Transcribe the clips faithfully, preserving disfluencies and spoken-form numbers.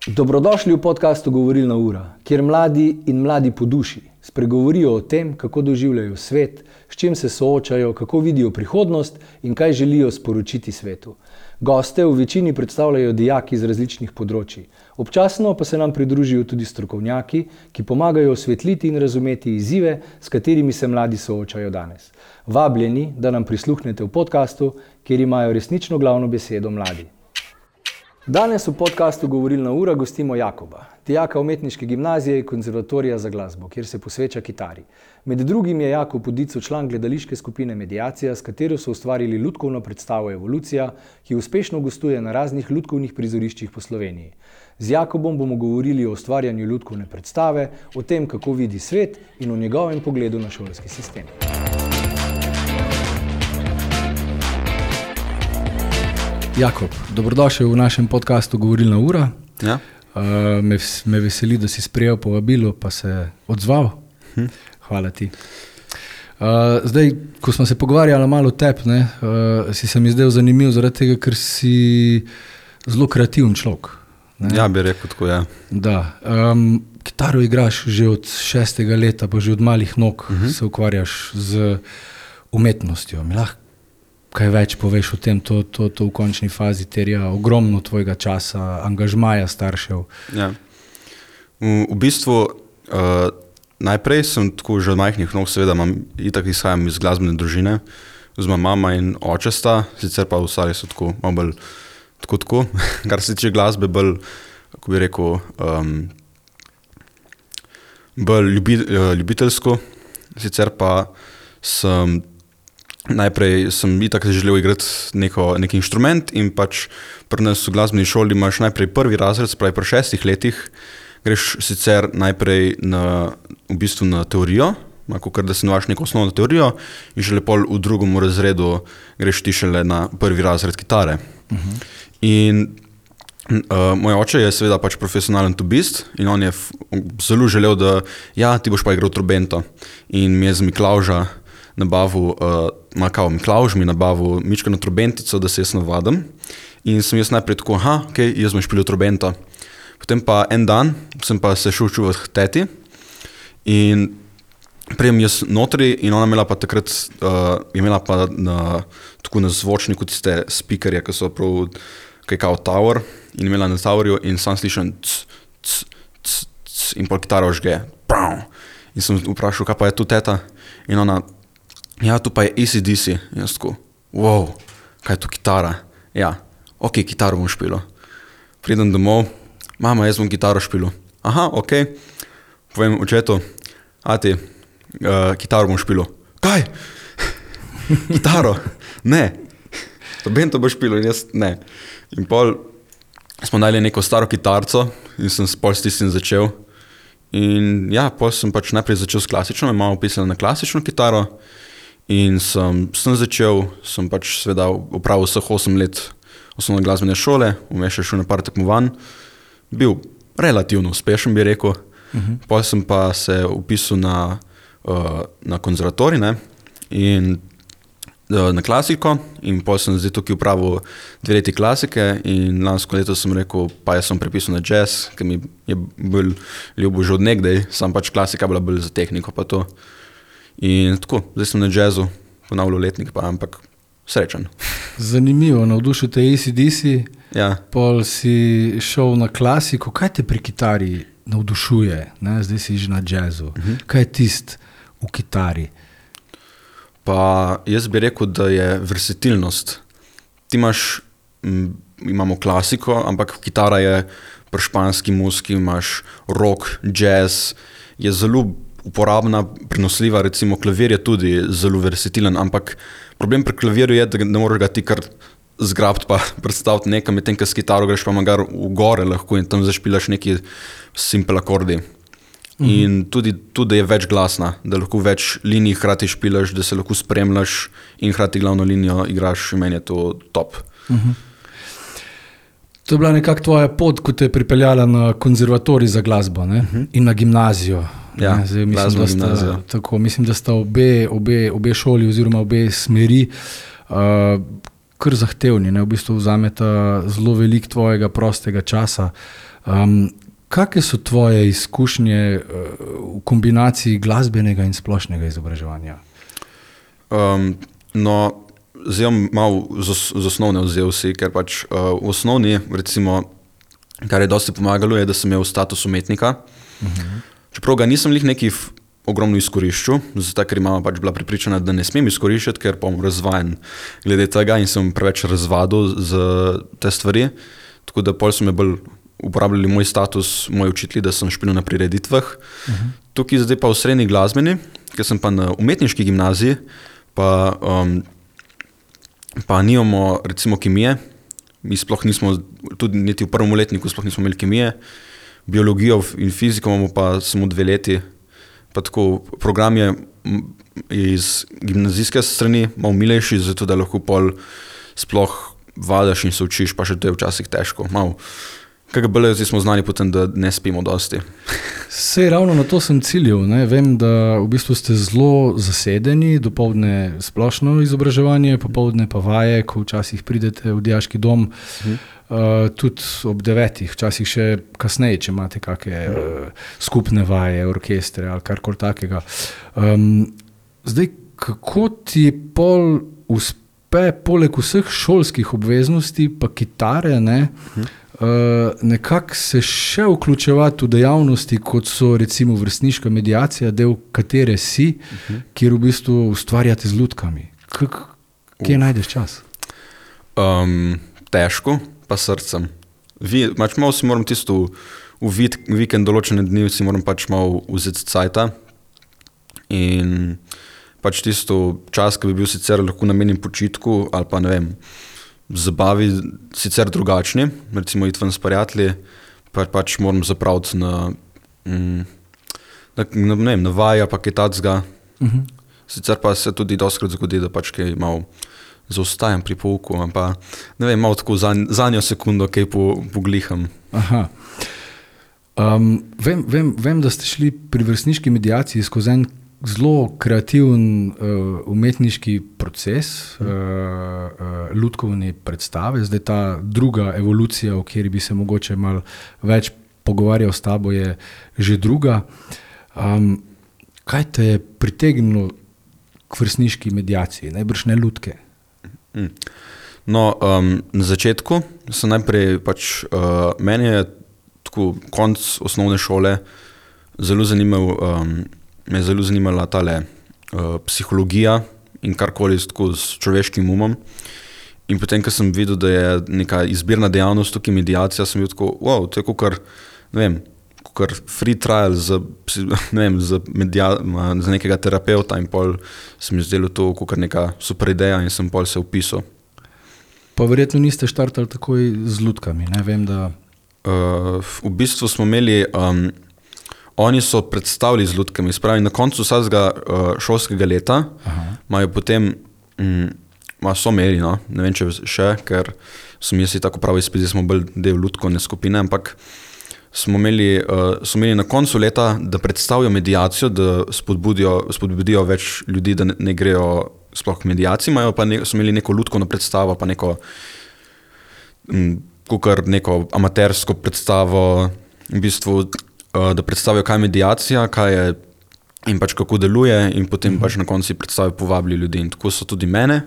Dobrodošli v podcastu Govorilna ura, kjer mladi in mladi po duši spregovorijo o tem, kako doživljajo svet, s čim se soočajo, kako vidijo prihodnost in kaj želijo sporočiti svetu. Goste v večini predstavljajo dijaki iz različnih področij. Občasno pa se nam pridružijo tudi strokovnjaki, ki pomagajo osvetliti in razumeti izzive, s katerimi se mladi soočajo danes. Vabljeni, da nam prisluhnete v podcastu, kjer imajo resnično glavno besedo mladi. Danes v podcastu Govorilna ura gostimo Jakoba, dijaka umetniške gimnazije in konzervatorija za glasbo, kjer se posveča kitari. Med drugim je Jakob Udico član gledališke skupine Mediacija, s katero so ustvarili lutkovno predstavo Evolucija, ki uspešno gostuje na raznih lutkovnih prizoriščih po Sloveniji. Z Jakobom bomo govorili o ustvarjanju lutkovne predstave, o tem, kako vidi svet in o njegovem pogledu na šolski sistem. Jakob, dobrodošel v našem podcastu Govorilna ura. Ja. Uh, me, me veseli, da si sprejel povabilo, pa se odzval. Hm. Hvala ti. Uh, zdaj, ko smo se pogovarjali malo o tebi, ne, uh, si se mi zdaj zanimiv zaradi tega, ker si zelo kreativen človek. Ne? Ja, bi rekel tako, ja. Da. Um, kitaro igraš že od šestega leta, pa že od malih nog uh-huh. se ukvarjaš z umetnostjo. Mi lahko kaj več poveš o tem, to, to, to v končni fazi terja ogromno tvojega časa, angažmaja staršev. Ja. V, v bistvu uh, najprej sem tako že od majhnih nog, seveda imam, itak izhajam iz glasbene družine, oziroma mama in oče sta, sicer pa ostali so tako, malo bolj tako, tako, kar se tiče glasbe, bolj, kako bi rekel, um, bolj ljubi, uh, ljubiteljsko, sicer pa sem najprej sem itak želel igrati neko, nek inštrument in pač pri nas v glasbeni šoli imaš najprej prvi razred, spravi pri šestih letih, greš sicer najprej na, v bistvu na teorijo, kakor da se navaš neko osnovno teorijo in šele pol v drugem razredu greš ti šele na prvi razred kitare. Uh-huh. In uh, moj oče je seveda pač profesionalen tubist in on je f- zelo želel, da ja, ti boš pa igral trobento in mi je z Miklavža nabavil, uh, makao Miklavž mi nabavil mičkano trobentico, da se jaz navadim. In sem jaz najprej tako, aha, ok, jaz bom špilil trobento. Potem pa en dan sem pa se šel čuvat k teti in prijem jaz notri in ona imela pa takrat, uh, je imela pa na, tako na zvočniku tiste speakerje, ki so prav kaj kao tower in imela na towerju in sam slišam c, c, c, c, in pol kitara ožge. In sem vprašal, kaj pa je tu teta? In ona, ja, tu pa je A C D C. In jaz tako, wow, kaj je tu kitara? Ja, ok, kitaro bom špilo. Pridem domov, mama, jaz bom kitaro špilo. Aha, ok, povem očetu, ati, uh, kitaro bom špilo. Kaj? Kitaro? Ne. Trobento bo špilo in jaz ne. In pol smo dali neko staro kitarco in sem pol s tistim začel. In ja, pol sem pač najprej začel s klasično, me mama upisala na klasično kitaro. In sem, sem začel, sem pač seveda opravil vseh osem let osnovne glasbene šole, vmes še šel na par tekmovanj, bil relativno uspešen, bi rekel. Uh-huh. Potem sem pa se upisal na, uh, na konzervatorij, ne, in uh, na klasiko in potem sem zdaj tukaj upravil dve leti klasike in lansko leto sem rekel, pa jaz sem prepisal na jazz, ker mi je bolj ljubo že od nekdaj, sam pač klasika bila bolj za tehniko pa to. In tako, zdaj sem na jazzu, ponavljal letnik pa, ampak srečen. Zanimivo, navdušil te A C D C, ja. Pol si šel na klasiko. Kaj te pri kitari navdušuje? Ne? Zdaj si že na jazzu. Uh-huh. Kaj je tist v kitari? Pa jaz bi rekel, da je versatilnost. Ti imaš, m, imamo klasiko, ampak kitara je pri španski muziki, imaš rock, jazz, je zelo uporabna, prenosljiva, recimo klavir je tudi zelo versatilen, ampak problem pri klavirju je, da ne moreš ga ti kar zgrabiti pa predstaviti nekam, medtem ko s kitaro greš pa magar v gore lahko in tam zašpilaš neki simple akordi. Mhm. In tudi, tudi je več glasna, da lahko več linij hkrati špilaš, da se lahko spremljaš in hkrati glavno linijo igraš, in meni je to top. Mhm. To je bila nekako tvoja pot, ko te je pripeljala na konzervatorij za glasbo, ne? Uh-huh. In na gimnazijo. Ja, Zdaj, mislim, da sta, tako, mislim, da sta obe, obe, obe šoli oziroma obe smeri uh, kar zahtevni, ne? V bistvu vzameta zelo veliko tvojega prostega časa. Um, Kakšne so tvoje izkušnje uh, v kombinaciji glasbenega in splošnega izobraževanja? Um, no, zdaj bom malo z, z osnovne vzel si, ker pač uh, v osnovni, recimo, kar je dosti pomagalo, je, da sem imel status umetnika. Uh-huh. Čeprav ga nisem lih neki ogromno izkoriščil, zato ker imam pač bila pripričana, da ne smem izkoriščati, ker bom razvajen glede tega in sem preveč razvadil z te stvari. Tako da pol so me bolj uporabljali moj status, moji učitelji, da sem špilil na prireditvah. Uh-huh. Tukaj zdaj pa v srednji glasbeni, ker sem pa na umetniški gimnaziji, pa, um, pa nimamo recimo kemije. Mi sploh nismo, tudi niti v prvem letniku sploh nismo imeli kemije. Biologijo in fiziko imamo pa samo dve leti. Pa tako program je iz gimnazijske strani malo milejši, zato da lahko pol sploh vadaš in se učiš, pa še to je včasih težko. Malo. Kaj ga bolje, zdaj smo znani potem, da ne spimo dosti. Sej ravno na to sem ciljil. Ne? Vem, da v bistvu ste zelo zasedeni, dopoldne splošno izobraževanje, popoldne pa vaje, ko včasih pridete v dijaški dom, hmm. uh, tudi ob devetih, včasih še kasneje, če imate kakšne uh, skupne vaje, orkestre ali karkoli takega. Um, zdaj, kako ti pol uspe, poleg vseh šolskih obveznosti, pa kitare, ne, hmm. Uh, nekako se še vključevati v dejavnosti, kot so recimo vrstniška mediacija, del katere si, uh-huh. kjer v bistvu ustvarjate z lutkami. K- kje uh. najdeš čas? Um, težko, pa srcem. Vi, pač malo si moram tisto v vid, vikend določene dni si moram pač malo vzeti cajta in pač tisto čas, ki bi bil sicer lahko namenjen počitku ali pa ne vem, zabavi sicer drugačni, recimo iti ven s prijatelji, pa pač moram zapraviti na, mm, na, na, ne vem, na vaja, pa kaj tacga. Uh-huh. Sicer pa se tudi dostkrat zgodi, da pač kaj malo zaostajam pri pouku, pa ne vem, malo tako za, zadnjo sekundo kaj po, pogliham. Aha. Um, vem, vem, vem, da ste šli pri vrstniški mediaciji skozi en zelo kreativen uh, umetniški proces, uh, uh, lutkovne predstave. Zdaj ta druga evolucija, o kateri bi se mogoče malo več pogovarjal s tabo, je že druga. Um, kaj te je pritegnilo k vrstniški mediaciji? Najbrž ne lutke. No, um, na začetku sem najprej pač, uh, meni je tako konc osnovne šole zelo zanimal um, me je zelo zanimala tale uh, psihologija in karkoli tako s človeškim umom. In potem, ko sem videl, da je neka izbirna dejavnost tukaj mediacija, sem bil tako, wow, to je kakor, ne vem, kakor free trial za, ne vem, za, media, za nekega terapeuta in pol se mi zdelo to kakor neka super ideja in sem pol se upisal. Pa verjetno niste štartali takoj z lutkami, ne vem, da... Uh, v bistvu smo imeli... Um, Oni so predstavili z lutkami, spravi na koncu vsakega uh, šolskega leta, imajo potem, mm, so imeli, no, ne vem, če še, ker sem jaz tako pravi izpit, smo bolj del lutkovne skupine, ampak smo imeli, uh, so imeli na koncu leta, da predstavijo mediacijo, da spodbudijo, spodbudijo več ljudi, da ne, ne grejo sploh k mediaciji, imajo pa ne, so imeli neko lutkovno predstavo, pa neko, mm, kukar neko amatersko predstavo, v bistvu, da predstavijo, kaj je mediacija, kaj je in pač kako deluje in potem uh-huh. pač na konci predstavijo, povabili ljudi in tako so tudi mene.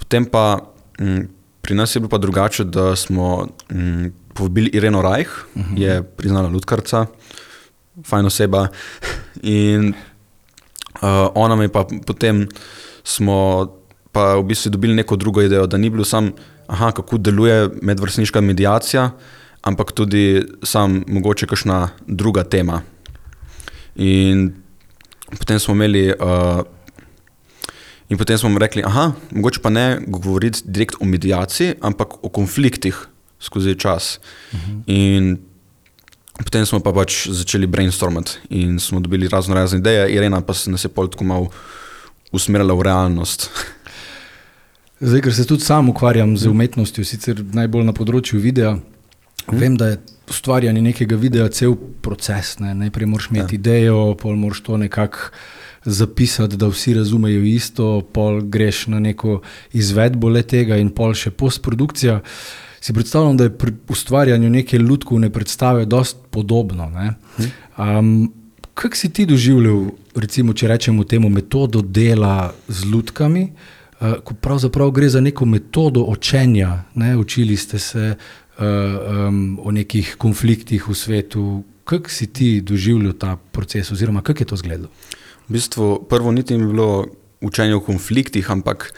Potem pa m, pri nas je bilo pa drugače, da smo m, povabili Ireno Rajh, uh-huh. je priznala lutkarca, fajn oseba in uh, ona me pa potem smo pa v bistvu dobili neko drugo idejo, da ni bilo sam, aha, kako deluje medvrstniška mediacija, ampak tudi sam mogoče kakšna druga tema. In potem smo imeli, uh, in potem smo rekli, aha, mogoče pa ne govoriti direkt o mediaciji, ampak o konfliktih skozi čas. Uh-huh. In potem smo pa pač začeli brainstormati in smo dobili razno razne ideje, Irena pa se nas je pol tako malo usmerila v realnost. Zdaj, ker se tudi sam ukvarjam z umetnostjo, sicer najbolj na področju videa, Hmm. Vem, da je ustvarjanje nekega videa cel proces. Ne? Najprej moraš imeti ja. idejo, pol moraš to nekako zapisati, da vsi razumejo isto, pol greš na neko izvedbo le tega in pol še postprodukcija. si predstavljam, da je pri ustvarjanju neke lutkovne predstave dosti podobno. Ne? Um, kako si ti doživljal, recimo, če rečemo temu, metodo dela z lutkami, uh, ko pravzaprav gre za neko metodo učenja, ne? Učili ste se uh, um, o nekih konfliktih v svetu. Kako si ti doživljal ta proces oziroma kako je to izgledalo? V bistvu prvo niti ni bilo učenje o konfliktih, ampak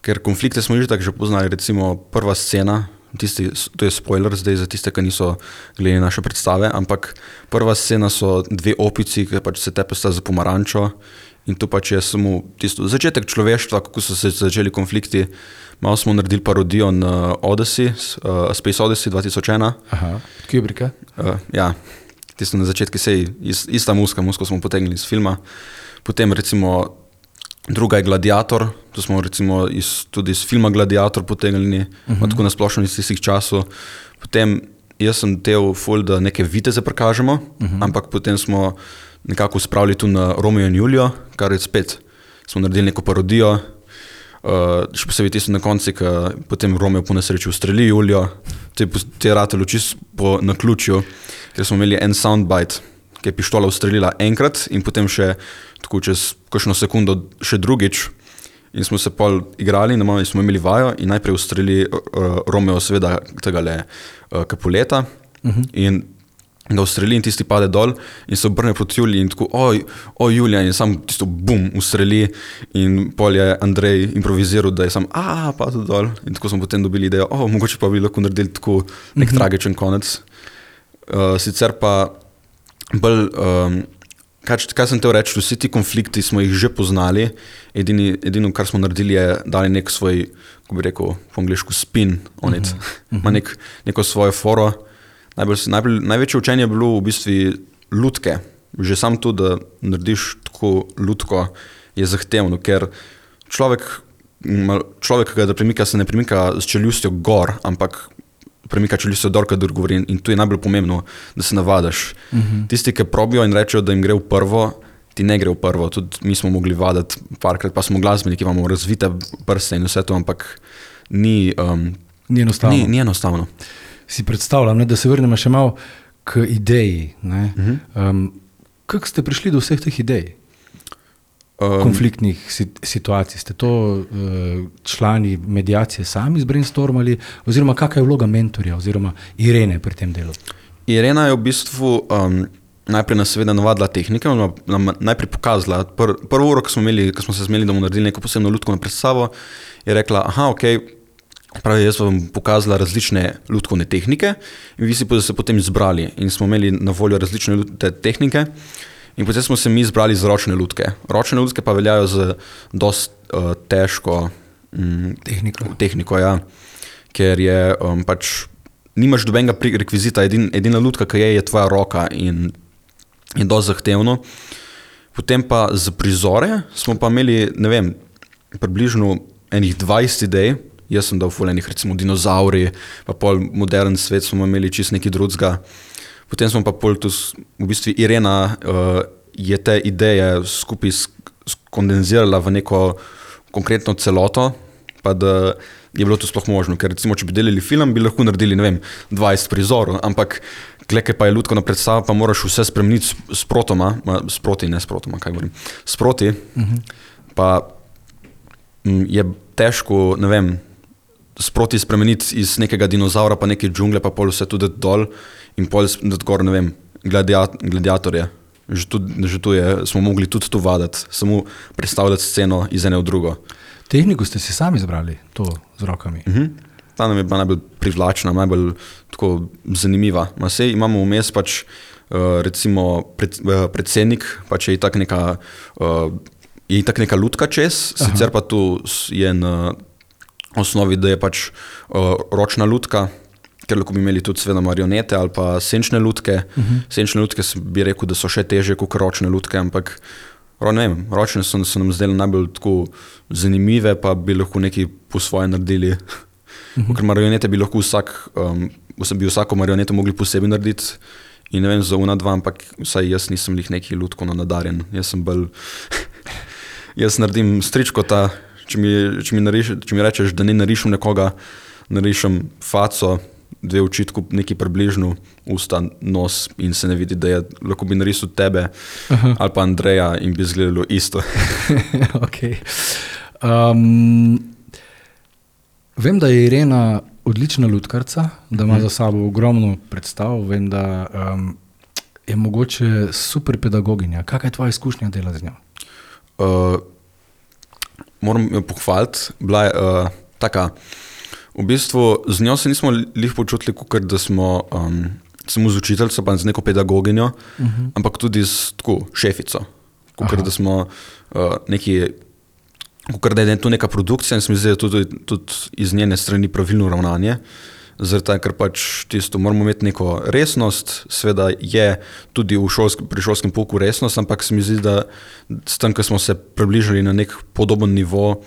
ker konflikte smo že tako že poznali, recimo prva scena, tisti, to je spoiler zdaj za tiste, ki niso gledali naše predstave, ampak prva scena so dve opici, ki pač se tepesta za pomarančo in to pač je samo tisto začetek človeštva, kako so se začeli konflikti. Malo smo naredili parodijo na Odyssey, uh, Space Odyssey dva tisoč ena. Aha, Kubricka. Uh, ja, tisto na začetku sej, ista muska, musko smo potegnili iz filma. Potem recimo druga je Gladiator, to smo recimo iz, tudi iz filma Gladiator potegnili, uh-huh. tako nasplošno iz tistih časov. Potem jaz sem del ful, da neke viteze prikažemo, uh-huh. ampak potem smo nekako spravili tu na Romeo in Julio, kar je spet, smo naredili neko parodijo, uh, še posebej tisto na konci, ki potem Romeo po nesreči ustreli Julio, te je ratelo čisto po naključju, ker smo imeli en soundbite, ki je pištola ustrelila enkrat in potem še tako čez kakšno sekundo še drugič in smo se pol igrali in smo imeli vajo in najprej ustreli uh, Romeo seveda tegale uh, Capuleta uh-huh. in ga ustreli in tisti pade dol in se obrne proti Juliji in tako, oj, oj Julija in sam tisto bum ustreli in pol je Andrej improviziral, da je sam a padel dol in tako smo potem dobili idejo, o, mogoče pa bi lahko naredili tako nek uh-huh. tragičen konec. Uh, sicer pa bolj, um, kaj, kaj sem te reči, vsi ti konflikti smo jih že poznali, edini, edino, kar smo naredili je dali nek svoj, ko bi rekel po angliško, spin on it, uh-huh. ima nek, neko svojo foro. Najbolj, najbolj, največje učenje je bilo v bistvu lutke. Že sam to, da narediš tako lutko, je zahtevno, ker človek, človek, ki ga premika, se ne premika s čeljustjo gor, ampak premika čeljustjo dol, kadar govori in to je najbolj pomembno, da se navadaš. Uh-huh. Tisti, ki probijo in rečejo, da jim gre v prvo, ti ne gre v prvo. Tudi mi smo mogli vadati parkrat, pa smo glasbeniki, imamo razvite prste in vse to, ampak ni, um, ni enostavno. Ni, ni enostavno. Si predstavljam, ne, da se vrnemo še malo k ideji. Ne? Uh-huh. Um, kako ste prišli do vseh teh idej? Um, konfliktnih situacij. Ste to uh, člani medijacije sami zbrainstormali oziroma kakva je vloga mentorja oziroma Irene pri tem delu? Irena je v bistvu um, najprej nas seveda navadila tehnike, nam, nam najprej pokazala. Pr, prvo uro, ko smo, imeli, ko smo se zmeli, da bomo naredili neko posebno lutkovno predstavo, je rekla, aha, okej, okay, pravi, jaz vam pokazala različne lutkovne tehnike in vi si se potem izbrali in smo imeli na voljo različne tehnike in potem smo se mi izbrali za ročne lutke. Ročne lutke pa veljajo za dost uh, težko um, tehniko, tehniko ja, ker je um, pač nimaš dobenega rekvizita, edin, edina lutka, ki je, je tvoja roka in je dost zahtevno. Potem pa za prizore smo pa imeli, ne vem, približno enih dvajset idej. Jaz sem dal ful enih, recimo dinozauri, pa pol modern svet smo imeli čist neki drugega. Potem smo pa pol tu, v bistvu Irena uh, je te ideje skupaj skondenzirala v neko konkretno celoto, pa da je bilo to sploh možno, ker recimo, če bi delili film, bi lahko naredili, ne vem, dvajset prizorov, ampak kleke pa je lutkovna predstava, pa moraš vse spremeniti sprotoma, sproti, ne sprotoma, kaj govorim, sproti, uh-huh. pa m, je težko, ne vem, sproti spremeniti iz nekega dinozaura pa neke džungle, pa pol vse tudi dol in pol dati gor, ne vem, gladiat, gladiatorje. Že tu, že tu je, smo mogli tudi to vadati, samo predstavljati sceno iz ene v drugo. Tehniko ste si sami izbrali, to z rokami? Uh-huh. Ta nam je bila najbolj privlačna, najbolj tako zanimiva. Ma sej imamo vmes pač uh, recimo pred, uh, predsednik, pač je itak neka, uh, je itak neka lutka čez, Aha. sicer pa tu je na osnovi, da je pač uh, ročna lutka, ker lahko bi imeli tudi seveda marionete ali pa senčne lutke. Uh-huh. Senčne lutke bi rekel, da so še težje kot ročne lutke, ampak ne vem, ročne so, so nam zdeli najbolj tako zanimive, pa bi lahko nekaj po svoje naredili. Uh-huh. Ker marionete bi lahko vsak, um, bi vsako marioneto mogli posebej narediti in ne vem, za una dva, ampak vsaj jaz nisem lih neki lutkovno nadarjen. Jaz sem bolj, jaz naredim stričko ta, če mi, če mi, nariš, če mi rečeš, da ne narišem nekoga narišem faco, dve oči, neki približno, usta, nos in se ne vidi, da je, lahko bi narisal tebe Aha. ali pa Andreja in bi izgledalo isto. okay. um, vem, da je Irena odlična lutkarca, da ima hmm. za sabo ogromno predstav, vem, da um, je mogoče super pedagoginja. Kakaj je tvoja izkušnja dela z njo? Uh, moram jo pohvaliti, bila je uh, taka, v bistvu z njo se nismo lih počutili, kakor da smo um, samo z učiteljco, pa z neko pedagoginjo, uh-huh. ampak tudi s tako šefico, kakor da smo uh, neki, kakor da je to neka produkcija in se mi zdi, da tudi, tudi iz njene strani pravilno ravnanje, zaradi ker pač tisto, moramo imeti neko resnost, seveda je tudi v šolsk, pri šolskem pouku resnost, ampak se mi zdi, da s tem, ko smo se približali na nek podoben nivo,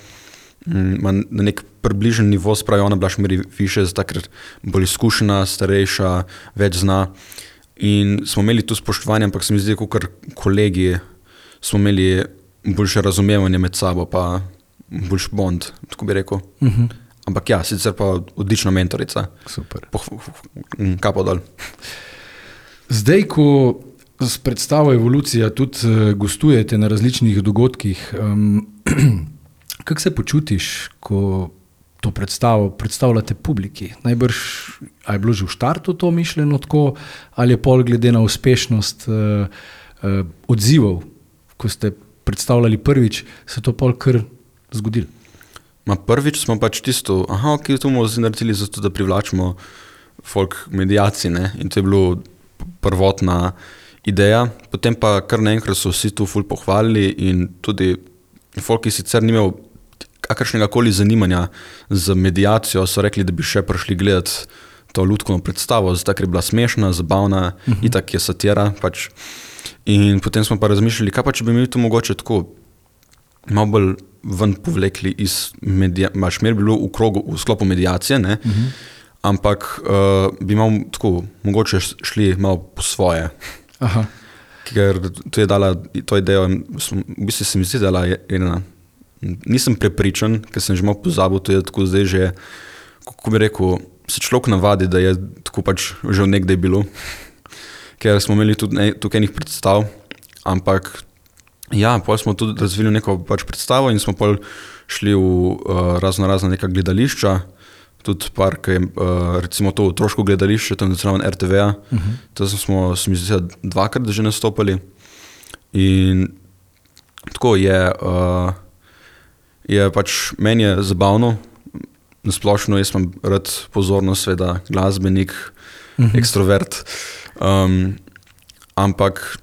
na nek približen nivo, spravi ona bila še meri više, zato ker bolj izkušena, starejša, več zna in smo imeli tu spoštovanje, ampak se mi zdi, kakor kolegi smo imeli boljše razumevanje med sabo, pa boljš bond, tako bi rekel. Uh-huh. Ampak ja, sicer pa odlična mentorica. Super. Kapo dol. Zdaj, ko s predstavo Evolucija tudi gostujete na različnih dogodkih, um, kako se počutiš, ko to predstavo predstavljate publiki? Najbrž, a je bilo že v štartu to mišljeno tako, ali je pol glede na uspešnost uh, uh, odzivov, ko ste predstavljali prvič, se to pol kar zgodilo? Ma prvič smo pač tisto, aha, ok, to bomo naredili zato, da privlačimo folk medijacij, ne, in to je bilo prvotna ideja, potem pa kar naenkrat so vsi tu ful pohvalili in tudi folk, ki sicer ni imel kakršnega koli zanimanja za medijacijo, so rekli, da bi še prišli gledati to lutkovno predstavo, zato ker je bila smešna, zabavna, uh-huh. itak je satira, pač. In potem smo pa razmišljali, kaj pa če bi mi to mogoče tako malo bolj ven povlekli iz medija, maš mer bi bilo v krogu, v sklopu medijacije, ne, uh-huh. ampak uh, bi malo tako mogoče šli malo po svoje. Aha. Ker to je dala, to idejo, v bistvu se mi zdi dala Irena. Nisem prepričan, ker sem že malo pozabil, to je tako zdaj že, kako bi rekel, se človek navadi, da je tako pač že nekdaj bilo. Ker smo imeli tudi ne, tukaj enih predstav, ampak ja, pol smo tudi razvili neko pač predstavo in smo pol šli v uh, razno razna neka gledališča, tudi par, ki je uh, recimo to otroško gledališče, tam zraven er te veja, uh-huh. to smo, se mi zdi, dvakrat že nastopali in tako je, uh, je pač, meni je zabavno, nasplošno jaz imam rad pozornost, sveda glasbenik, uh-huh. ekstrovert, um, ampak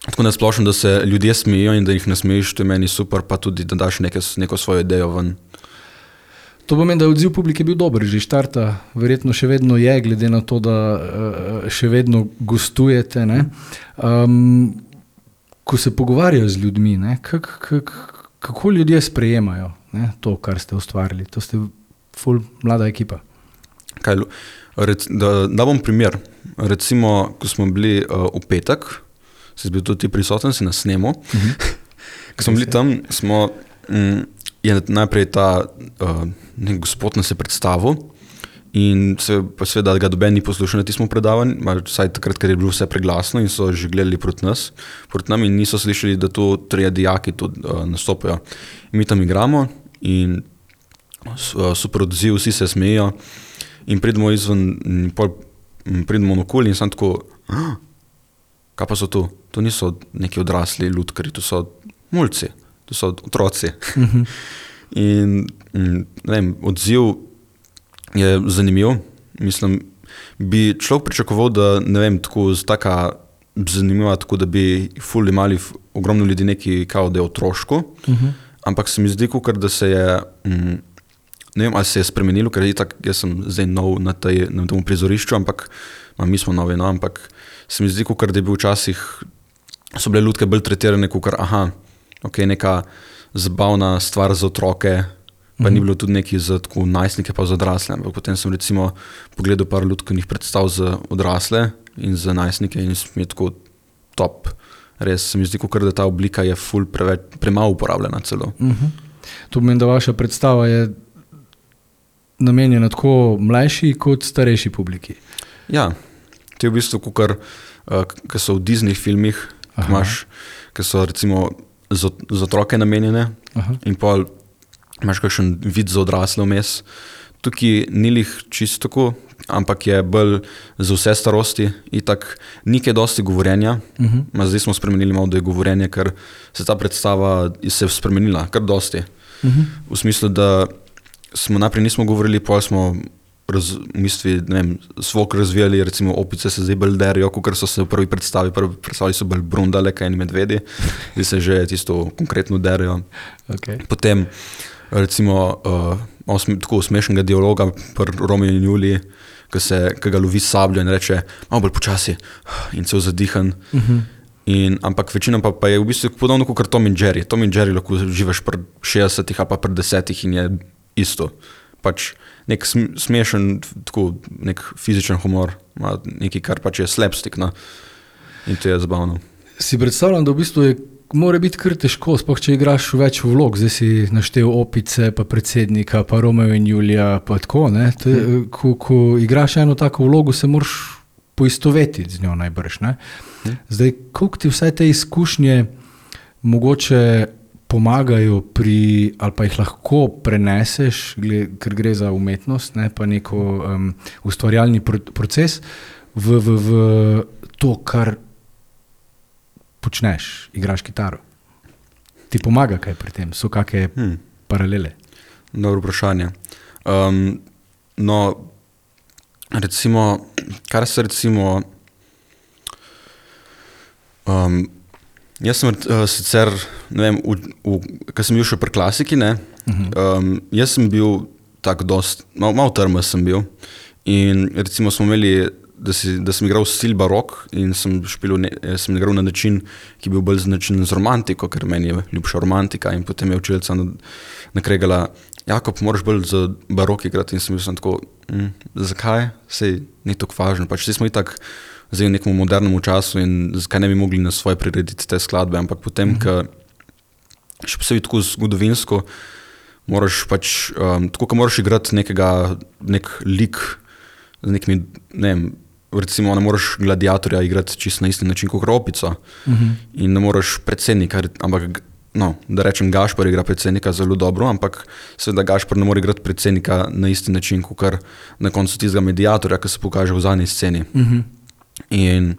tako nasplošno, da se ljudje smejijo in da jih nasmejiš, to je meni super, pa tudi, da daš neke, neko svojo idejo ven. To pomeni, da je odziv publike bil dober, že štarta, verjetno še vedno je, glede na to, da uh, še vedno gostujete. Ne? Um, ko se pogovarjajo z ljudmi, ne? Kak, kak, kako ljudje sprejemajo, ne? To, kar ste ustvarili? To ste ful mlada ekipa. Kaj, rec, da, da bom primer. Recimo, ko smo bili uh, v petek, si bil tudi prisoten, si na snemu. Uh-huh. Ko smo bili tam, smo, um, je najprej ta uh, nek gospod nas je predstavil in se pa seveda ga doben ni poslušal na tistem predavanju, vsaj takrat, ker je bilo vse preglasno in so že gledali proti nas, proti nam in niso slišali, da tu trije dijaki tudi uh, nastopajo. In mi tam igramo in uh, super odziv, vsi se smejijo in pridemo izven, in pol, pridemo okoli in sem tako, ah, kaj pa so tu? To niso neki odrasli lutkarji, to so mulci, to so otroci. Uh-huh. In ne vem, odziv je zanimiv. Mislim, bi človek pričakoval, da ne vem, tako taka zanimiva, tako da bi ful imali ogromno ljudi neki kao, da je otroško, uh-huh. ampak se mi zdi, kukor, da se je, mm, ne vem, ali se je spremenilo, ker je tak, jaz sem zdaj nov na, tej, na tem prizorišču, ampak ma, mi smo novi, no, ampak se mi zdi, kukor, da je bil včasih, so bile lutke bolj tretirane, kukor, aha, ok, neka zabavna stvar za otroke, pa mm-hmm. ni bilo tudi neki za tako najstnike pa za odrasle, ampak potem sem recimo pogledal par lutkovnih predstav za odrasle in za najstnike in mi je tako top. Res se mi zdi, kukor, da ta oblika je ful preveč, premalo uporabljena celo. Mm-hmm. To pomeni, da vaša predstava je namenjena tako mlajši kot starejši publiki. Ja, to je v bistvu kukar, uh, ki so v Disney filmih, ki so recimo za, za otroke namenjene. Aha. In pa imaš kakšen vid za odrasle vmes. Tukaj ni lih čisto tako, ampak je bolj za vse starosti. Itak ni kaj dosti govorjenja. Uh-huh. Zdaj smo spremenili malo, da je govorjenje, ker se ta predstava se je spremenila, kar dosti. Uh-huh. V smislu, da smo najprej nismo govorili, pol smo raz, v bistvu, ne vem, svok razvijali, recimo opice se zdaj bolj derijo, kakor so se v prvi predstavi, prvi predstavi so bolj brundale, kaj in medvedi, zdaj se že tisto konkretno derijo. Okay. Potem recimo uh, malo sm- tako smešnega dialoga pri Romeo in Juliji, ki, se, ki ga lovi sabljo in reče malo bolj počasi in cel zadihan. Uh-huh. In, ampak večina pa, pa je v bistvu podobno kot Tom in Jerry. Tom in Jerry lahko živiš pri šestdesetih ali pa pri desetih in je isto. Pač nek smešen, tako, nek fizičen humor, nekaj, kar pač je slapstick, no? In to je zabavno. Si predstavljam, da v bistvu je, mora biti kar težko, sploh če igraš več vlog, zdaj si naštel Opice, pa predsednika, pa Romeo in Julija, pa tako, ne? To je, hmm. ko, ko igraš eno tako vlogo, se moraš poistovetiti z njo najbrž, ne? Hmm. Zdaj, koliko ti vse te izkušnje mogoče pomagajo pri, ali pa jih lahko preneseš, ker gre za umetnost, ne, pa neko um, ustvarjalni proces v, v, v to, kar počneš, igraš kitaro. Ti pomaga kaj pri tem? So kakšne hmm. paralele? Dobro vprašanje. Um, no, recimo, kar se recimo um, jaz sem uh, sicer, ne vem, ko sem bil še pri klasiki, ne, uh-huh. um, jaz sem bil tako dost, malo mal trma sem bil in recimo smo imeli, da, si, da sem igral stil barok in sem, špil, ne, sem igral na način, ki je bil bolj značen z romantiko, ker meni je ljubša romantika in potem je učiteljica nakregala, Jakob, moraš bolj za barok igrati in sem bil sem tako, hm, zakaj? Sej ni tako važno, pač sej smo i tak zdaj v nekom modernem času in zakaj ne bi mogli na svoje prirediti te skladbe, ampak potem, mm-hmm. ka, še posebej tako zgodovinsko, moraš pač, um, tako ka moraš igrati nekega, nek lik, z nekimi, ne vem, recimo ne moraš gladiatorja igrati čisto na isti način kot Opico mm-hmm. in ne moraš predsednika, ampak, no, da rečem Gašpar igra predsednika zelo dobro, ampak seveda Gašpar ne more igrati predsednika na isti način kot na koncu tistega mediatorja, ki se pokaže v zadnji sceni. Mm-hmm. In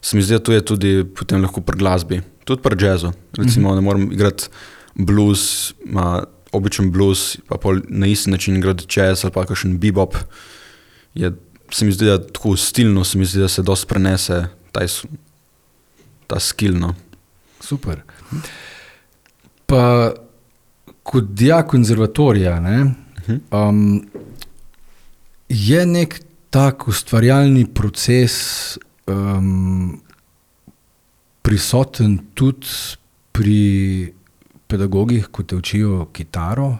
se mi zdi, da to je tudi potem lahko pri glasbi, tudi pri jazzu. Recimo mm-hmm. ne moram igrati blues, ma, običen blues, pa pol na isti način igrati jazz ali pa kakšen bebop. Je, se mi zdi, da tako stilno se mi zdi, da se dosti prenese ta, ta skill, no. Super. Pa kot dijak konzervatorija, ne, mm-hmm. um, je nek tak ustvarjalni proces um, prisoten tudi pri pedagogih, ko te učijo kitaro?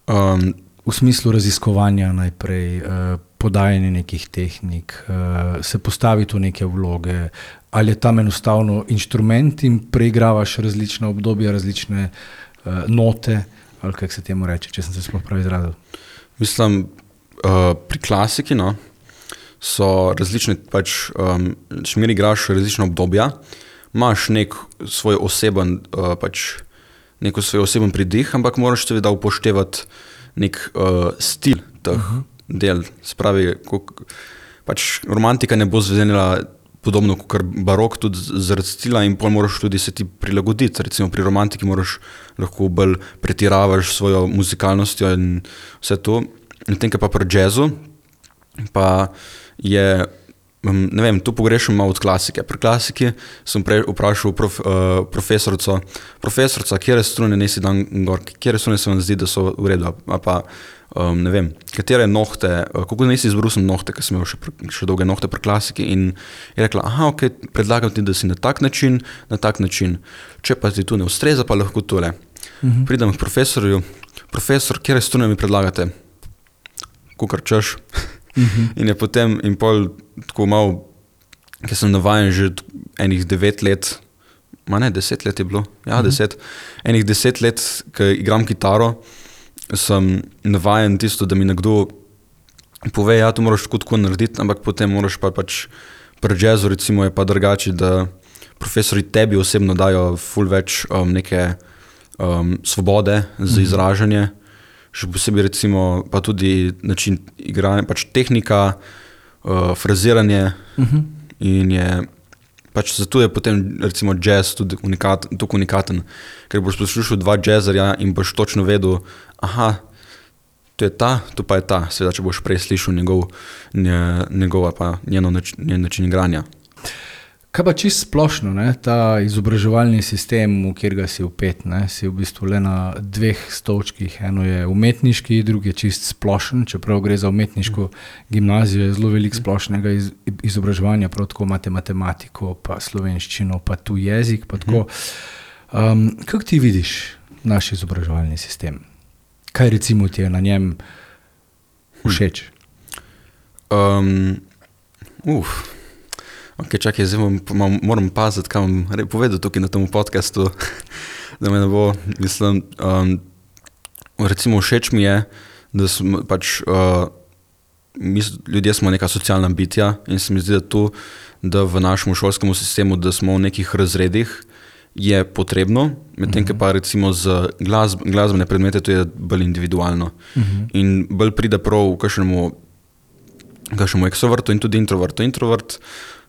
Um, v smislu raziskovanja najprej, uh, podajanje nekih tehnik, uh, se postaviti v neke vloge, ali je tam enostavno inštrument in preigravaš različne obdobja, različne uh, note, ali kako se temu reče, če sem se sploh prav izrazil? Mislim, Uh, pri klasiki, no, so različne, pač, um, šmir igraš različne obdobja, imaš nek svoj oseben, uh, pač, neko svoj oseben pridih, ampak moraš seveda upoštevati nek uh, stil teh uh-huh. del. Spravi, kuk, pač romantika ne bo zvedenila podobno kot barok, tudi zaradi stila in pol moraš tudi se ti prilagoditi. Recimo pri romantiki moraš lahko bolj pretiravaš svojo muzikalnostjo in vse to. Medtem pa pri jazzu pa je, ne vem, tu pogrešam malo od klasike. Pri klasiki sem prej vprašal prof, uh, profesorico, profesorica, kjere strune nesi dan gor, kjere strune se vam zdi, da so v redu, a pa, um, ne vem, katere nohte, uh, kako nesi izbrusil nohte, ker sem imel še, še dolge nohte pri klasiki in je rekla, aha, ok, predlagam ti, da si na tak način, na tak način, če pa ti tu ne ustreza, pa lahko tole. Mhm. Pridem k profesorju, profesor, kjere strune mi predlagate? Kukar češ. Uh-huh. In je potem, in pol tako malo, ker sem navajen že enih devet let, ma ne, deset let je bilo, ja, uh-huh. deset, enih deset let, ko igram kitaro, sem navajen tisto, da mi nekdo pove, ja, to moraš tako tako narediti, ampak potem moraš pa pač pri jazzu recimo je pa drugače, da profesori tebi osebno dajo ful več um, neke um, svobode za izražanje, še posebej recimo pa tudi način igranja, pač tehnika, uh, fraziranje uh-huh. in je pač zato je potem recimo jazz tudi unikat, tako unikaten, ker boš poslušal dva jazzerja in boš točno vedel, aha, to je ta, to pa je ta, seveda, če boš prej slišal njegov, njegov pa njeno način, njen način igranja. Kaj pa čisto splošno, ne? Ta izobraževalni sistem, v katerega si vpet, ne? Si v bistvu le na dveh stolčkih, eno je umetniški, drugi je čisto splošen, čeprav gre za umetniško gimnazijo, je zelo veliko splošnega iz, izobraževanja, prav tako imate matematiko, pa slovenščino, pa tu jezik, pa tako. Um, kako ti vidiš naš izobraževalni sistem? Kaj recimo ti je na njem všeč? Um, uf, ok, čakaj, zdaj moram, moram paziti, kaj bom povedal tukaj na tem podcastu, da me ne bo, mislim, um, recimo všeč mi je, da smo pač, uh, mi ljudje smo neka socialna bitja in se mi zdi, da tu, da v našem šolskem sistemu, da smo v nekih razredih, je potrebno, medtem uh-huh. pa recimo z glasb, glasbene predmete to je bolj individualno. Uh-huh. In bolj pride prav v kakšnemu, kakšnemu ekstrovertu in tudi introvertu. Introvert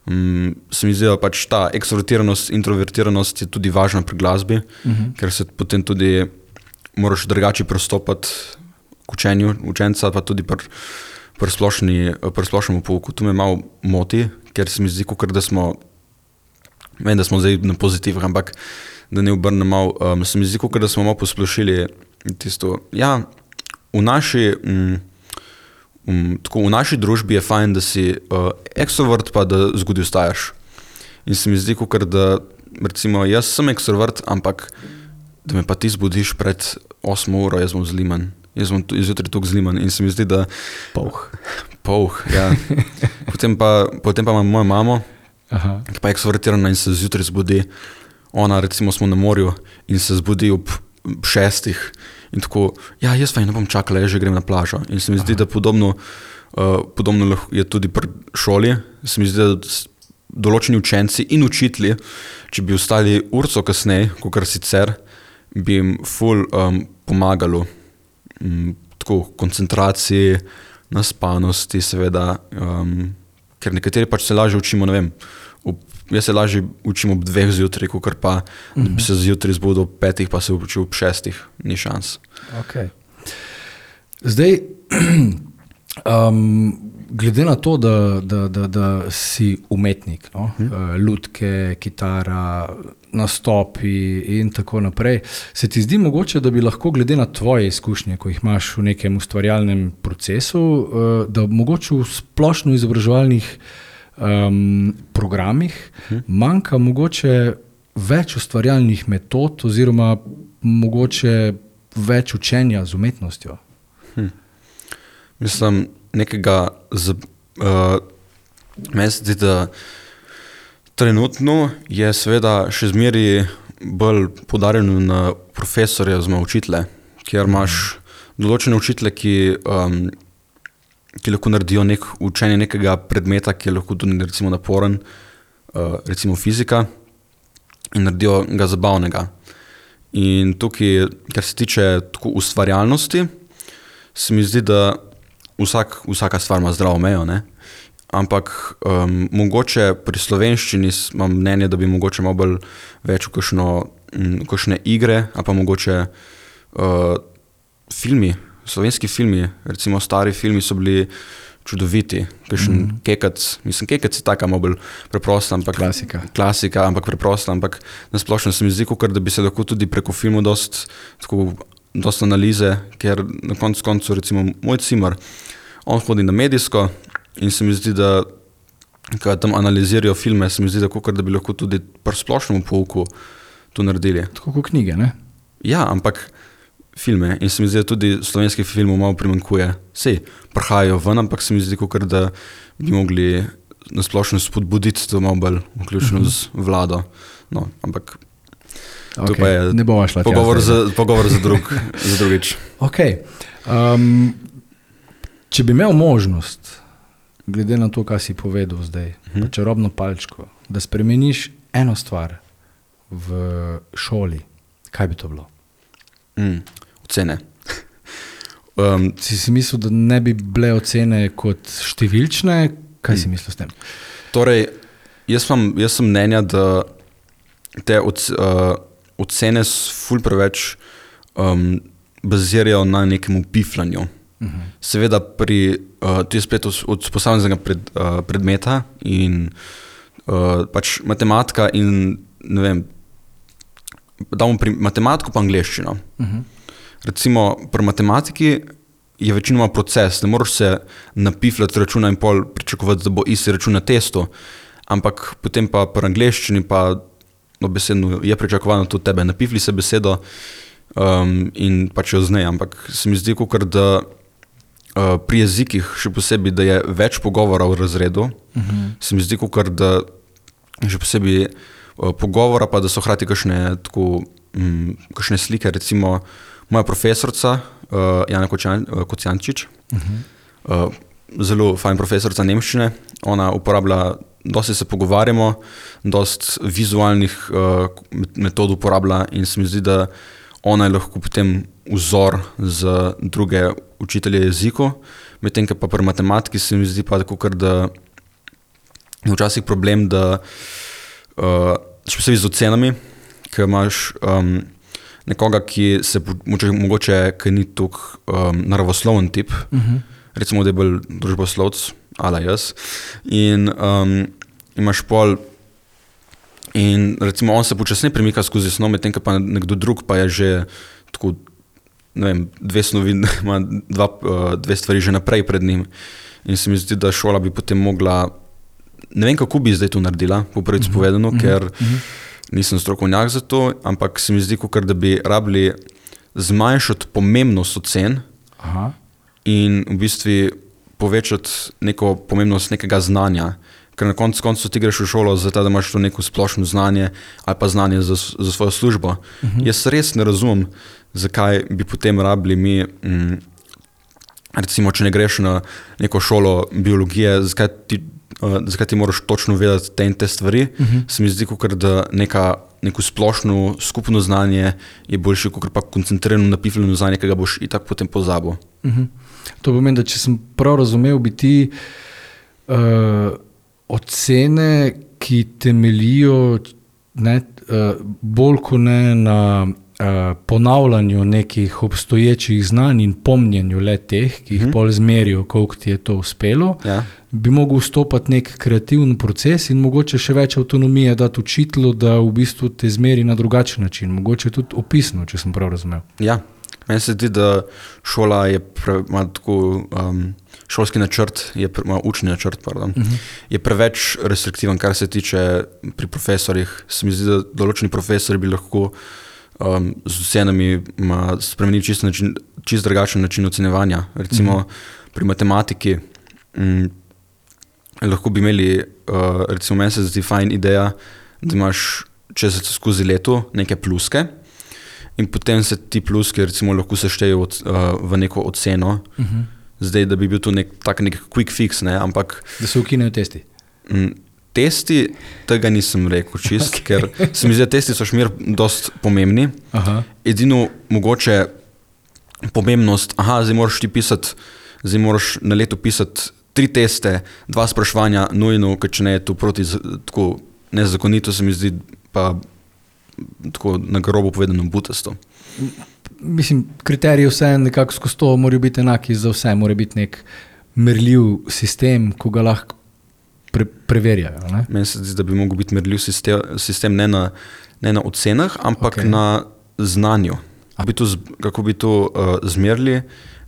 um, se mi zdi, da pač ta ekstrovertiranost, introvertiranost je tudi važna pri glasbi, uh-huh. ker se potem tudi moraš drugače pristopati k učenju učenca, pa tudi pri, pri, splošni, pri splošnemu pouku. To me malo moti, ker se mi zdi, kakor da smo Vem, da smo zdaj na pozitivih, ampak da ne obrnem malo, um, se mi zdi, kakor da smo malo posplošili tisto. Ja, v naši, um, um, tako, v naši družbi je fajn, da si uh, ekstrovert, pa da zgodaj vstajaš. In se mi zdi, kakor da, recimo, jaz sem ekstrovert, ampak da me pa ti zbudiš pred osmo uro, jaz bom zliman. Jaz bom izjutraj tukaj zliman in se mi zdi, da... Pouh. Pouh, ja. Potem pa, potem pa imam mojo mamo, Aha. ki pa je ekstrovertirana in se zjutraj zbudi. Ona, recimo, smo na morju in se zbudi ob šestih in tako, ja, jaz pa ne bom čakala, jaz že grem na plažo. In se mi zdi, Aha. da podobno, uh, podobno je tudi pri šoli. Se mi zdi, da določeni učenci in učitelji, če bi ostali urco kasneje, kakor sicer, bi jim ful um, pomagalo. Um, tako, koncentraciji, naspanosti, seveda, um, ker nekateri pač se lažje učimo, ne vem, ob, jaz se lažje učim ob dveh zjutraj, kakor pa uh-huh. da bi se zjutraj zbudil ob petih, pa se učil ob šestih, ni šans. Ok. Zdaj, um, glede na to, da, da, da, da si umetnik, no? uh-huh. lutke, kitara, nastopi in tako naprej, se ti zdi mogoče, da bi lahko glede na tvoje izkušnje, ko jih imaš v nekem ustvarjalnem procesu, da mogoče v splošno izobraževalnih um, programih hmm. manjka mogoče več ustvarjalnih metod oziroma mogoče več učenja z umetnostjo? Hmm. Mislim, nekega z, uh, meni se zdi, da trenutno je seveda še zmeri bolj poudarjeno na profesorje oziroma učitelje, kjer imaš določene učitelje, ki, um, ki lahko naredijo nek, učenje nekega predmeta, ki je lahko tudi recimo naporen, uh, recimo fizika, in naredijo ga zabavnega. In tukaj, kar se tiče tako ustvarjalnosti, se mi zdi, da vsak, vsaka stvar ima zdravo mejo, ne? Ampak um, mogoče pri slovenščini imam mnenje, da bi mogoče malo bolj več v kakšno, m, kakšne igre, a pa mogoče uh, filmi, slovenski filmi, recimo stari filmi so bili čudoviti, kakšen mm. Kekac, mislim, Kekac je taka malo bolj preprosta, ampak klasika. klasika, ampak preprosta, ampak nasplošno se mi zdi, kakor da bi se lahko tudi preko filmu dost, tako, dost analize, ker na koncu koncu recimo moj cimer, on hodi na medijsko, in se mi zdi, da ko tam analizirajo filme, se mi zdi, da, kakor, da bi lahko tudi pri splošnemu pouku to naredili. Tako kot knjige, ne? Ja, ampak filme. In se mi zdi, da tudi slovenskih filmov malo primanjkuje. Sej, prihajajo ven, ampak se mi zdi, kakor, da bi mogli nasplošno spodbuditi to malo bolj, vključno uh-huh. z vlado. No, ampak... To Okay, pa je ne bova šla tja pogovor zdaj, za, pogovor za, drug, za drugič. Okay. Um, če bi imel možnost, glede na to, kaj si povedal zdaj, Mhm. pa čarobno palčko, da spremeniš eno stvar v šoli, kaj bi to bilo? Mm, ocene. Um, Si si mislil, da ne bi bile ocene kot številčne? Kaj si mislil s tem? torej, jaz, mam, jaz sem mnenja, da te oc, uh, ocene s ful preveč um, bazirajo na nekem upifljanju. Uh-huh. Seveda pri, uh, to je spet od, od posameznega pred, uh, predmeta in uh, pač matematika in ne vem, damo pri matematiko pa angleščino. Uh-huh. Recimo pri matematiki je večinoma proces, ne moreš se napifljati računa in pol pričakovati, da bo isti račun na testu, ampak potem pa pri angleščini pa dobesedno je pričakovano tudi tebe, napifli se besedo um, in pač jo znej, ampak se mi zdi, kakor da uh, pri jezikih še posebej, da je več pogovora v razredu, uh-huh. se mi zdi, kakor da še posebej uh, pogovora, pa da so hrati kakšne, tako, um, kakšne slike, recimo moja profesorica, uh, Jana Kočan, uh, Kocijančič, uh-huh. uh, zelo fajn profesorica nemščine, ona uporablja, dosti se pogovarjamo, dosti vizualnih uh, metod uporablja in se mi zdi, da ona je lahko potem vzor za druge učitelje jeziku, medtem ko pa pri matematiki se mi zdi pa tako, ker da je včasih problem, da uh, še posebej z ocenami, ker imaš um, nekoga, ki se mogoče, mogoče ki ni tok um, naravosloven tip, uh-huh. recimo, da je bolj družboslovc, ala jaz, in um, imaš pol in recimo on se počasneje premika skozi snov, medtem ko pa nekdo drug pa je že tako, ne vem, dve snovi, ima dva, uh, dve stvari že naprej pred njim in se mi zdi, da šola bi potem mogla, ne vem, kako bi zdaj to naredila, po prvič uh-huh. povedano, uh-huh. ker uh-huh. nisem strokovnjak za to, ampak se mi zdi, kakor da bi rabili zmanjšati pomembnost ocen Aha. in v bistvu povečati neko pomembnost nekega znanja. Ker na koncu koncu ti greš v šolo zato, da imaš to neko splošno znanje ali pa znanje za, za svojo službo. Uh-huh. Jaz res ne razumem, zakaj bi potem rabili mi, mm, recimo, če ne greš na neko šolo biologije, zakaj ti, uh, zakaj ti moraš točno vedeti te in te stvari. Uh-huh. Se mi zdi, kakor da neka, neko splošno skupno znanje je boljše, kakor pa koncentrirano napifljeno znanje, ki ga boš itak potem pozabil. Uh-huh. To pomeni, da če sem prav razumel, bi ti uh, ocene, ki temelijo ne, uh, bolj kot ne na uh, ponavljanju nekih obstoječih znanj in pomnjenju le teh, ki jih uh-huh. pol zmerijo, koliko ti je to uspelo, Ja. bi mogel vstopati nek kreativen proces in mogoče še več avtonomije dati učitelju, da v bistvu te zmeri na drugačen način, mogoče tudi opisno, če sem prav razumel. Ja, meni se zdi, da šola je pre, ima tako, um, šolski načrt, je pre, ima učni načrt, pardon, uh-huh. je preveč restriktiven, kar se tiče pri profesorjih. Se mi zdi, da določeni profesori bi lahko um, z ocenami spremenili čist, način, čist drugačen način ocenjevanja. Recimo uh-huh. pri matematiki um, lahko bi imeli, uh, recimo meni se zdi fajn ideja, da imaš čez skozi leto neke pluske, in potem se ti pluski recimo lahko seštejo od, uh, v neko oceno. Uh-huh. Zdaj, da bi bil to nek, tak nek quick fix, ne, ampak... Da se ukinejo testi. M, testi, tega nisem rekel čist, okay. Ker se mi zdi, da testi so šmer dost pomembni. Aha. Edino mogoče pomembnost, aha, zdaj moraš ti pisati, zdaj moraš na leto pisati tri teste, dva spraševanja nujno, ker če ne je to proti, tako nezakonito se mi zdi, pa tako na grobo povedano butasto. Mislim, kriteriji vse nekako skozi to morajo biti enaki za vse, mora biti nek merljiv sistem, ko ga lahko pre, preverjajo. Ne? Meni se zdi, da bi mogel biti merljiv sistem, sistem ne, na, ne na ocenah, ampak Okay. na znanju. Bi to, z- kako bi to uh, zmerili,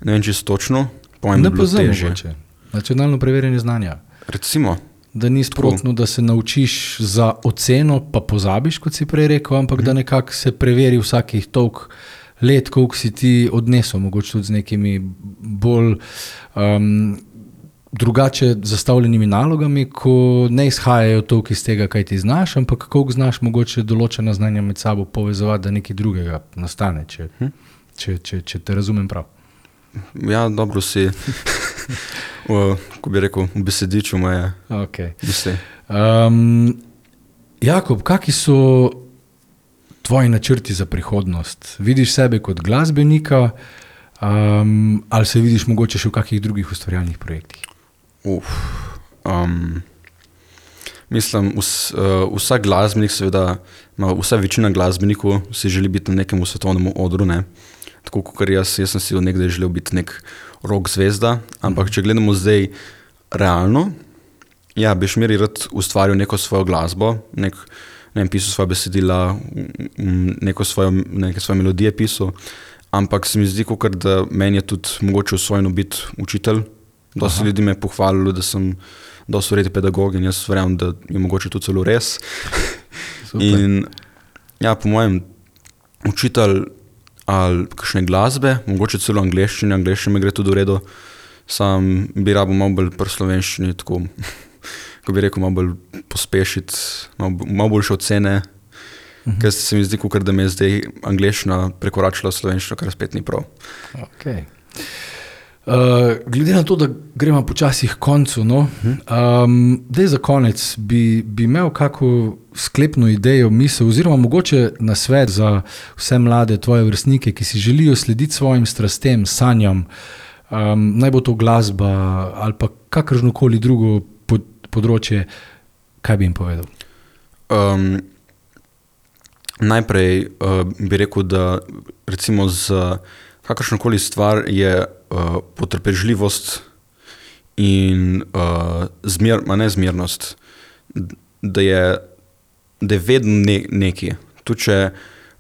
ne vem čisto točno, po mojem bi Ne bilo pozem težje. mogoče. Nacionalno preverjanje znanja. Recimo, Da ni sprotno, da se naučiš za oceno, pa pozabiš, kot si prej rekel, ampak mm. da nekako se preveri vsakih toliko let, koliko si ti odnesel, mogoče tudi z nekimi bolj um, drugače zastavljenimi nalogami, ko ne izhajajo toliko iz tega, kaj ti znaš, ampak kako znaš mogoče določena znanja med sabo povezovati, da nekaj drugega nastane, če, hm? če, če, če te razumem prav. Ja, dobro si, o, ko bi rekel, v besediču moje okay. misli. Um, Jakob, kakšni so tvoji načrti za prihodnost? Vidiš sebe kot glasbenika um, ali se vidiš mogoče še v kakšnih drugih ustvarjalnih projektih? Uf, um, mislim, vs, uh, vsak glasbenik, seveda, vsa večina glasbenikov si želi biti na nekem svetovnem odru, ne? Tako kot jaz, jaz sem si nekdaj želel biti nek rock zvezda, ampak če gledamo zdaj realno, ja, bi šmeri rad ustvaril neko svojo glasbo, nek, ne vem, pisal svoje besedila, neko svojo, neke svoje melodije pisal, ampak se mi zdi, kakor, da meni je tudi mogoče usvojeno biti učitelj. Dosti ljudi me je pohvalilo, da sem dosti vreden pedagog in jaz verjamem, da je mogoče to celo res. In ja, po mojem, učitelj ali kakšne glasbe, mogoče celo angleščine, angleščine me gre tudi v redu, sam bi rabo malo bolj pri slovenščini, tako, ko bi rekel, malo bolj pospešiti, malo, malo boljše ocene, uh-huh. ker se mi zdi, kakor, da me je zdaj angleščina prekoračila slovenščino, kar spet ni prav. Okay. Uh, glede na to, da gremo počasi k koncu, no, um, daj za konec, bi, bi imel kako sklepno idejo, misel oziroma mogoče nasvet za vse mlade tvoje vrstnike, ki si želijo slediti svojim strastem, sanjam, um, naj bo to glasba ali pa kakršnokoli drugo pod, področje, kaj bi jim povedal? Um, najprej uh, bi rekel, da recimo z kakršnokoli stvar je uh, potrpežljivost in uh, zmer, ma ne zmernost, da je, da je vedno ne, neki. Tudi če,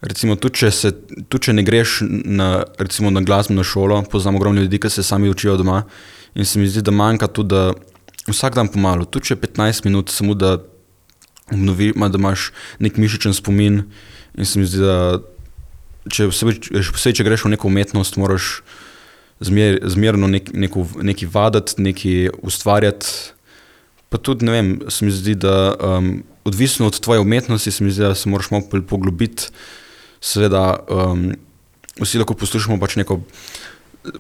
recimo, tudi če, se, tudi če ne greš na, recimo, na glasbeno šolo, poznam ogromno ljudi, ki se sami učijo doma in se mi zdi, da manjka tudi, da vsak dan pomalo, tudi če petnajst minut, samo da obnovi, da imaš nek mišičen spomin in se mi zdi, da Če, vse, če greš v neko umetnost, moraš zmer, zmerno nek, neko, neki vaditi, neki ustvarjati. Pa tudi, ne vem, se mi zdi, da um, odvisno od tvoje umetnosti, se mi zdi, da se moraš malo poglobiti. Seveda, um, vsi lahko poslušamo pač neko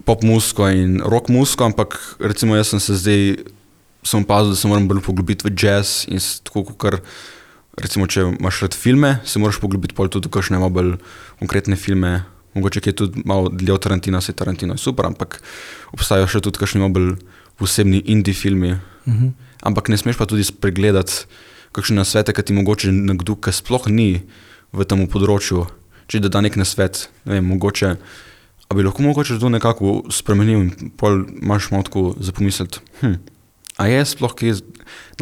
pop muziko in rock muziko, ampak recimo jaz sem se zdaj, sem opazil, da se moram bolj poglobiti v jazz in tako, kar recimo, če imaš rad filme, se moraš poglobiti pol tudi v kakšne malo bolj konkretne filme. Mogoče je tudi malo dlje od Tarantina, se Tarantino je super, ampak obstajajo še tudi kakšni malo bolj posebni indie filmi. Uh-huh. Ampak ne smeš pa tudi spregledati kakšne nasvete, ki ti mogoče nekdo, ki sploh ni v tem področju, če da da nek nasvet, ne vem, mogoče, a bi lahko mogoče to nekako spremenil in pol imaš malo tako za pomisliti, hm, a je sploh kje,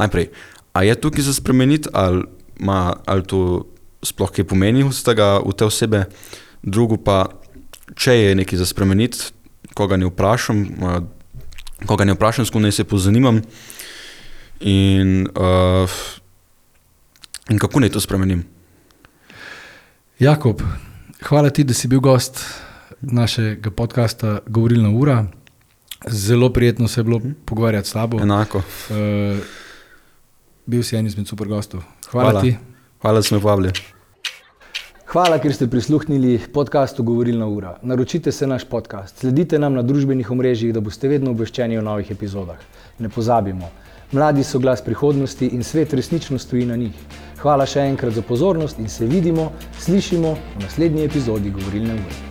najprej, a je tukaj za spremeniti, ali Ma, ali to sploh kaj pomeni z tega, v te osebe. Drugo pa, če je nekaj za spremeniti, koga ne vprašam, koga ne vprašam, s kom naj se pozanimam in, uh, in kako naj to spremenim. Jakob, hvala ti, da si bil gost našega podcasta Govorilna ura. Zelo prijetno se je bilo pogovarjati s tabo. Enako. Uh, bil si en izmed super gostov. Hvala, Hvala ti. Hvala, da si me povabili. Hvala, ker ste prisluhnili podcastu Govorilna ura. Naročite se naš podcast, sledite nam na družbenih omrežjih, da boste vedno obveščeni o novih epizodah. Ne pozabimo, mladi so glas prihodnosti in svet resnično stoji na njih. Hvala še enkrat za pozornost in se vidimo, slišimo v naslednji epizodi Govorilne ure.